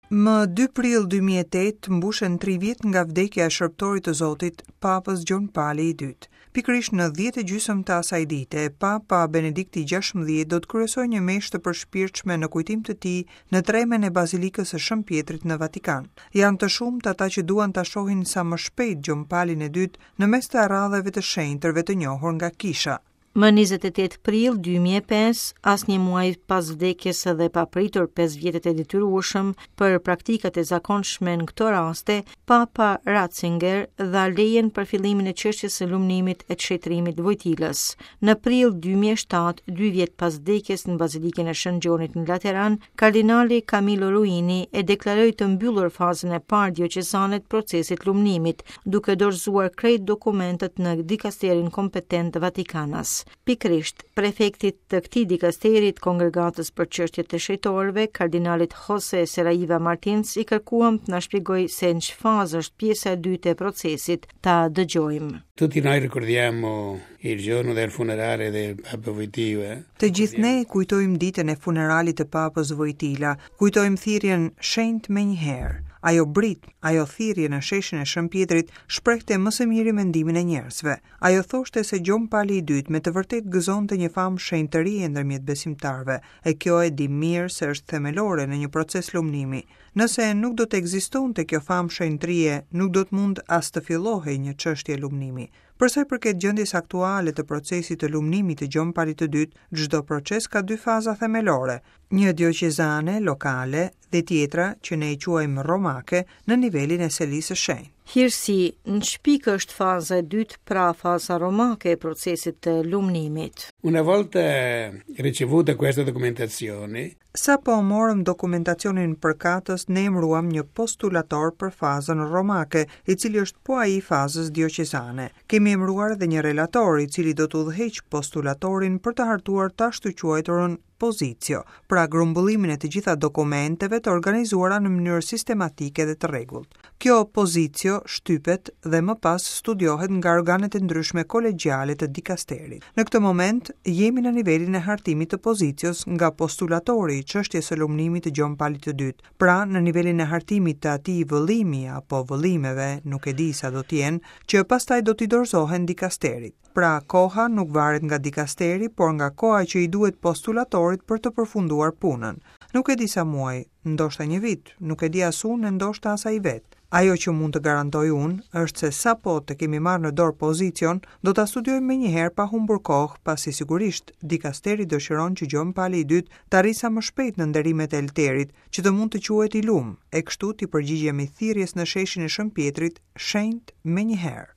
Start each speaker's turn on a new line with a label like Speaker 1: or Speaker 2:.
Speaker 1: Më 2 prill 2008 mbushen 3 vjet nga vdekja e shërbëtorit të Zotit, Papës Gjon Pali i II. Pikërisht në 10 e gjysëm të asaj dite, Papa Benedikti XVI do të kryesojë një meshë të përshpirtshme në kujtim të tij në tremen e Bazilikës së Shën Pjetrit në Vatikan. Janë të shumtë ata që duan ta shohin sa më shpejt Gjon Palin e II në mes të aradheve të shenjtërve të njohur nga kisha.
Speaker 2: Më 28 prill 2005, as një muaj pas vdekjes dhe pa pritur 5 vjetët e detyrueshëm për praktikat e zakonshme në këto raste, Papa Ratzinger dha lejen për fillimin e çështjes së lumnimit e të shenjtërimit të Vojtilës. Në prill 2007, dy vjet pas vdekjes në Bazilikën e Shën Gjonit në Lateran, kardinali Camillo Ruini e deklaroi të mbyllur fazën e parë dioqezane të procesit të lumnimit, duke dorëzuar krejt dokumentet në dikasterin kompetent vatikanas. Pikërisht, prefektit të këtij dikasteri të Kongregatës për Çështjet e Shenjtorëve, kardinalit Jose Saraiva Martins, i kërkuam të na shpjegojë se në ç'fazë është pjesa e dytë e procesit, ta dëgjojmë.
Speaker 3: Tutti noi ricordiamo il giorno del funerale del Papa Wojtyła.
Speaker 1: Të gjithë ne kujtojmë ditën e funeralit të Papës Vojtila, kujtojmë thirrjen shenjt menjëherë. Ajo britmë, ajo thirrje në sheshin e Shën Pjetrit shprehte më së miri mendimin e njerëzve. Ajo thoshte se Gjon Pali i II me të vërtetë gëzonte një famë shenjtërie ndërmjet besimtarëve, e kjo e dimë mirë se është themelore në një proces lumnimi. Nëse nuk do të ekzistonte kjo famë shenjtërie, nuk do të mund as të fillohej një çështje lumnimi. Për sa i përket gjendjes aktuale të procesit të lumnimit të Gjon Palit të Dytë, çdo proces ka dy faza themelore, një dioqezane, lokale, dhe tjetra, që ne e quajmë romake, në nivelin e Selisë së
Speaker 2: Shenjtë. Hirësi, në ç'pikë është faza e dytë, pra faza romake e procesit të lumnimit?
Speaker 3: Una volta ricevuta questa documentazione,
Speaker 1: Sapo morëm dokumentacionin përkatës, ne emëruam një postulator për fazën romake, i cili është po ai i fazës dioqezane. Kemi emëruar edhe një relator, i cili do të udhëheqë postulatorin për të hartuar të ashtuquajturën positio, pra grumbullimin e të gjitha dokumenteve të organizuara në mënyrë sistematike dhe të rregullt. Kjo positio shtypet dhe më pas studiohet nga organet e ndryshme kolegjiale të dikasterit. Në këtë moment, jemi në nivelin e hartimit të positios nga postulatori i çështjes së lumnimit të Gjon Palit të Dytë, pra në nivelin e hartimit të atij vëllimi apo vëllimeve, nuk e di sa do të jenë, që pastaj do t'i dorëzohen dikasterit. Pra, koha nuk varet nga dikasteri, por nga koha që i duhet postulatorit për të përfunduar punën. Nuk e di sa muaj, ndoshta një vit, nuk e di as unë e ndoshta as ai vetë. Ajo që mund të garantoj unë është se sapo të kemi marrë në dorë pozicion, do ta studiojmë menjëherë pa humbur kohë, pasi sigurisht dikasteri dëshiron që Gjon Pali i Dytë të arrijë sa më shpejt në nderimet e Elterit, që të mund të quhet i lum, e kështu t'i përgjigjemi thirrjes në sheshin e Shën Pjetrit, shenjt menjëherë.